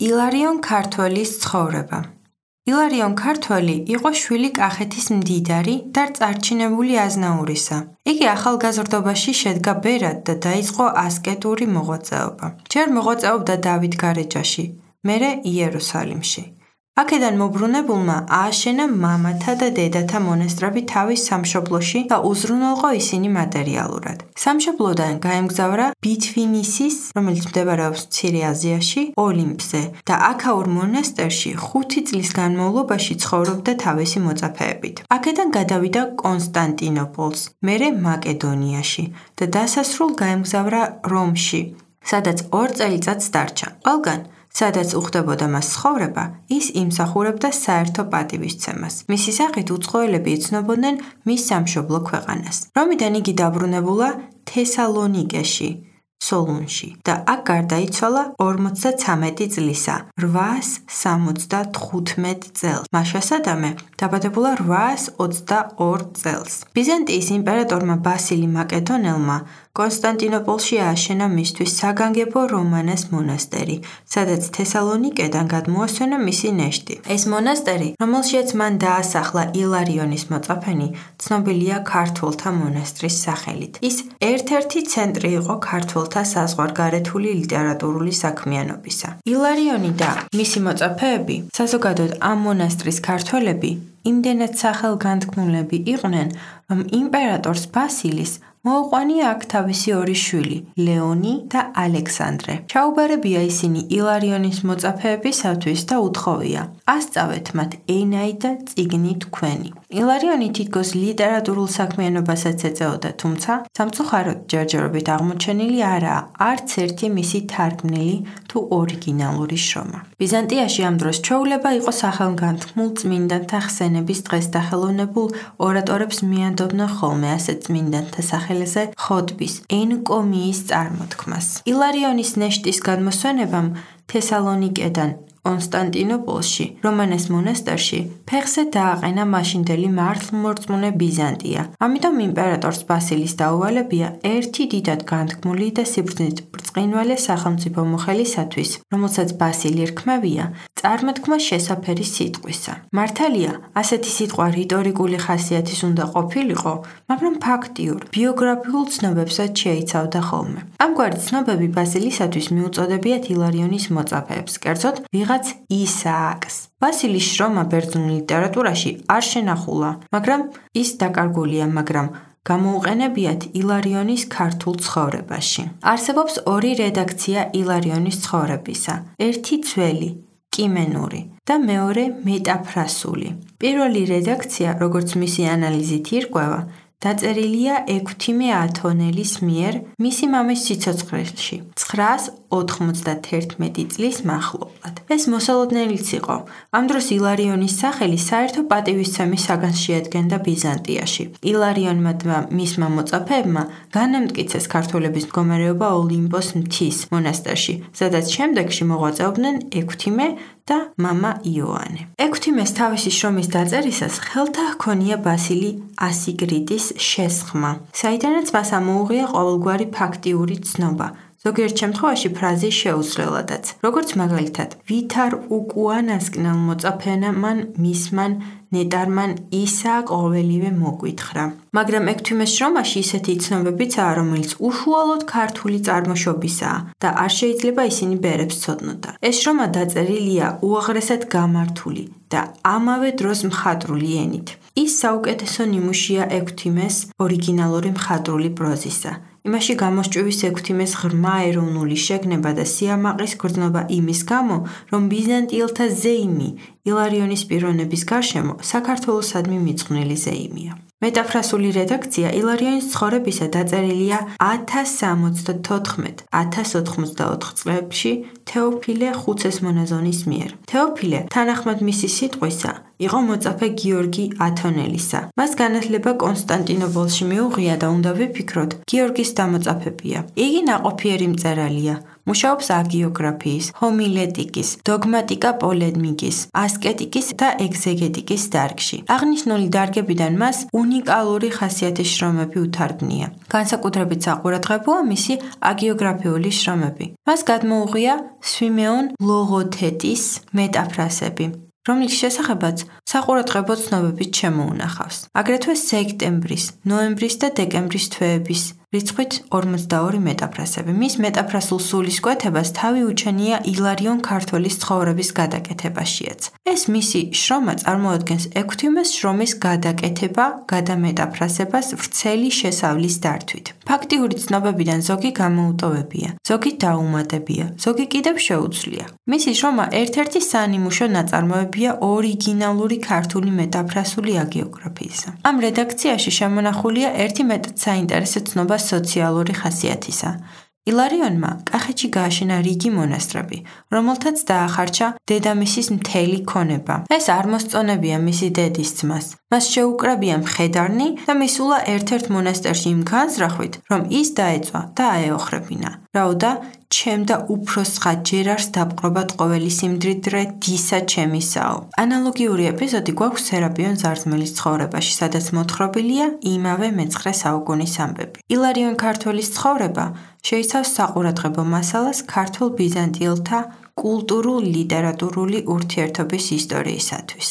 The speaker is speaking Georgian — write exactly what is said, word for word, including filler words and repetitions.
ილარიონ ქართველის ცხოვრება. ილარიონ ქართველი იყო შვილი კახეთის მდიდარი და წარჩინებული აზნაურისა. იგი ახალგაზრდობაში შედგა ბერად და დაიწყო ასკეტური მოღვაწეობა. ჯერ მოღვაწეობდა დავითგარეჯაში, მერე იერუსალიმში. აქედან მობრუნებულმა ააშენა მამათა და დედათა მონასტრები თავის სამშობლოში და უზრუნველყო ისინი მატერიალურად. სამშობლოდან გაემგზავრა ბითვინისის, რომელიც მდებარეობს მცირე აზიაში, ოლიმპზე და აქაურ მონასტერში ხუთი წლის განმავლობაში ცხოვრობდა თავისი მოწაფეებით. აქედან გადავიდა კონსტანტინოპოლს, მერე მაკედონიაში და დასასრულ გაემგზავრა რომში, სადაც ორ წელიწადს დარჩა. ყველგან სადაც უხდებოდა მას ცხოვრება, ის იმსახურებდა საერთო პატივისცემას. მისი სახით უცხოელები იცნობოდნენ მის სამშობლო ქვეყანას. რომიდან იგი დაბრუნებულა თესალონიკეში, სოლუნში და აქ გარდაიცვალა ორმოცდაცამეტი წლისა, რვაას სამოცდათხუთმეტ წელს. მაშასადამე დაბადებულა რვაას ოცდაორ წელს. ბიზანტიის იმპერატორმა ბასილი მაკედონელმა კონსტანტინოპოლში ააშენა მისთვის საგანგებო რომანას მონასტერი, სადაც თესალონიკედან გადმოასვენა მისი ნეშტი. ეს მონასტერი, რომელშიც მან დაასახლა ილარიონის მოწაფენი, ცნობილია ქართველთა მონასტრის სახელით. ის ერთ-ერთი ცენტრი იყო ქართველთა საზღვარგარეთული ლიტერატურული საქმიანობისა. ილარიონი და მისი მოწაფეები, საზოგადოდ ამ მონასტრის ქართველები, იმდენად სახელგანთქმულები იყვნენ, რომ იმპერატორს ბასილის მოუყვანია აქ თავისი ორი შვილი, ლეონი და ალექსანდრე. ჩაუბარებია ისინი ილარიონის მოწაფეებისათვის და უთხოვია: ასწავეთ მათ ენაი და წიგნი თქვენი. ილარიონი თითქოს ლიტერატურულ საქმიანობასაც ეწეოდა, თუმცა სამწუხაროდ ჯერჯერობით აღმოჩენილი არაა არც ერთი მისი თარგმნილი თუ ორიგინალური შრომა. ბიზანტიაში ამ დროს ჩვეულება იყო სახელგანთქმულ წმინდანთა ხსენების დღეს დახელოვნებულ ორატორებს მიანდობდნენ ხოლმე ასეთ წმინდანთა სახელზე ხოტბის, ენკომიის წარმოთქმას. ილარიონის ნეშტის გადმოსვენებამ თესალონიკედან კონსტანტინოპოლში, რომანეს მონასტერში, ფეხზე დააყენა მაშინდელი მართლმორწმუნე ბიზანტია. ამიტომ იმპერატორს ბასილის დაუვალებია ერთი დიდად განთქმული და სიბრძნით ბრწყინვალე სახელმწიფო მოხელისათვის, რომელსაც ბასილი რქმევია, წარმოთქმა შესაფერი სიტყვისა. მართალია, ასეთი სიტყვა რიტორიკული ხასიათის უნდა ყოფილიყო, მაგრამ ფაქტიურ, ბიოგრაფიულ ცნობებსაც შეიცავდა ხოლმე. ამგვარი ცნობები ბასილისათვის მიუწოდებიათ ილარიონის მოწაფეებს, კერძოდ ვიღაც ისააკს. ბასილის შრომა ბერძნულ ლიტერატურაში არ შენახულა, მაგრამ ის დაკარგულია, მაგრამ გამოუყენებიათ ილარიონის ქართულ ცხოვრებაში. არსებობს ორი რედაქცია ილარიონის ცხოვრებისა. ერთი ძველი, კიმენური და მეორე მეტაფრასული. პირველი რედაქცია, როგორც მისი ანალიზით ირკვევა, დაწერილია ექვთიმე ათონელის მიერ მისი მამის სიცოცხლეში, ცხრაას ოთხმოცდათერთმეტი წლის მახლობლად. ეს მოსალოდნელიც იყო. ამ დროს ილარიონის სახელი საერთო პატივისცემის საგანს შეადგენდა ბიზანტიაში. ილარიონმა და მისმა მოწაფეებმა განამტკიცეს ქართველების მდგომარეობა ოლიმპოს მთის მონასტერში, სადაც შემდეგში მოღვაწეობდნენ ექვთიმე და მამა იოანე. ექვთიმეს თავისი შრომის დაწერისას ხელთა ჰქონია ბასილი ასიგრიდის შესხმა, საიდანაც მას ამოუღია ყოველგვარი ფაქტიური ცნობა, ზოგიერთ შემთხვევაში ფრაზის შეუცვლელადაც, როგორც მაგალითად, ვითარ უკუანასკნელ მოწაფენამან მისმან ნეტარმან ისა ყოველივე მოგვითხრა. მაგრამ ექვთიმეს შრომაში ისეთი ცნობებიცაა, რომელიც უშუალოდ ქართული წარმოშობისაა და არ შეიძლება ისინი ბერებს ცოდნოდა. ეს შრომა დაწერილია უაღრესად გამართული და ამავე დროს მხატვრული ენით. ის საუკეთესო ნიმუშია ექვთიმეს ორიგინალური მხატვრული პროზისა. იმაში გამოსჭვის ექვთიმეს ღრმა ეროვნული შეგნება და სიამაყის გრძნობა იმის გამო, რომ ბიზანტიელთა ზეიმი ილარიონის პიროვნების გარშემო საქართველოსადმი მიძღვნილი ზეიმია. მეტაფრასული რედაქცია ილარიონის ცხოვრებისა დაწერილია ათას სამოცდათოთხმეტ ათას ოთხმოცდაოთხ წლებში თეოფილე ხუცესმონაზონის მიერ. თეოფილე, თანახმად მისი სიტყვისა, იყო მოწაფე გიორგი ათონელისა. მას განათლება კონსტანტინოპოლში მიუღია და უნდა ვიფიქროთ, გიორგის დამოწაფებია. იგი ნაყოფიერი მწერალია, მუშაობს აგიოგრაფიის, ჰომილეტიკის, დოგმატიკა პოლემიკის, ასკეტიკის და ეგზეგეტიკის დარგში. აღნიშნული დარგებიდან მას უნიკალური ხასიათის შრომები უთარგმნია. განსაკუთრებით საყურადღებოა მისი აგიოგრაფიული შრომები. მას გადმოუღია სვიმეონ ლოგოთეტის მეტაფრასები, რომლის შესახებაც საყურადღებო ცნობებით შემოუნახავს. აგრეთვე სექტემბრის, ნოემბრის და დეკემბრის თვეების რიცხვით ორმოცდაორი მეტაფრასები. მის მეტაფრასულ სულისკვეთებას თავი უჩენია ილარიონ ქართველის ცხოვრების გადაკეთებაშიაც. ეს მისი შრომა წარმოადგენს ექვთიმეს შრომის გადაკეთება, გადამეტაფრასებას ვრცელი შესავლის დართვით. ფაქტიური ცნობებიდან ზოგი გამოუტოვებია, ზოგი დაუმატებია, ზოგი კიდევ შეუცვლია. მისი შრომა ერთ-ერთი საანიმუშო ნაწარმოებია ორიგინალური ქართული მეტაფრასული აგიოგრაფიისა. ამ რედაქციაში შემონახულია ერთი მეტად საინტერესო ცნობა სოციალური ხასიათისა. ილარიონმა კახეთში გააშენა რიგი მონასტრები, რომელთაც დაახარჯა დედამისის მთელი ქონება. ეს არ მოსწონებია მისი დედის ძმას. მას შეუკრებია მხედარნი და მისულა ერთ-ერთ მონასტერში იმ განზრახვით, რომ ის დაეწვა და აეოხრებინა. რაოდა ჩემ და უფროსხა ჯერარს დაპყრობათ ყოველი სიმდიდრე დისა ჩემისაო. ანალოგიური ეპიზოდი გვაქვს სერაპიონ ზარზმელის ცხოვრებაში, სადაც მოთხრობილია იმავე მეცხრე საუკუნის ამბები. ილარიონ ქართველის ცხოვრება შეიცავს საყურადღებო მასალას ქართულ-ბიზანტიელთა კულტურულ-ლიტერატურული ურთიერთობის ისტორიისათვის.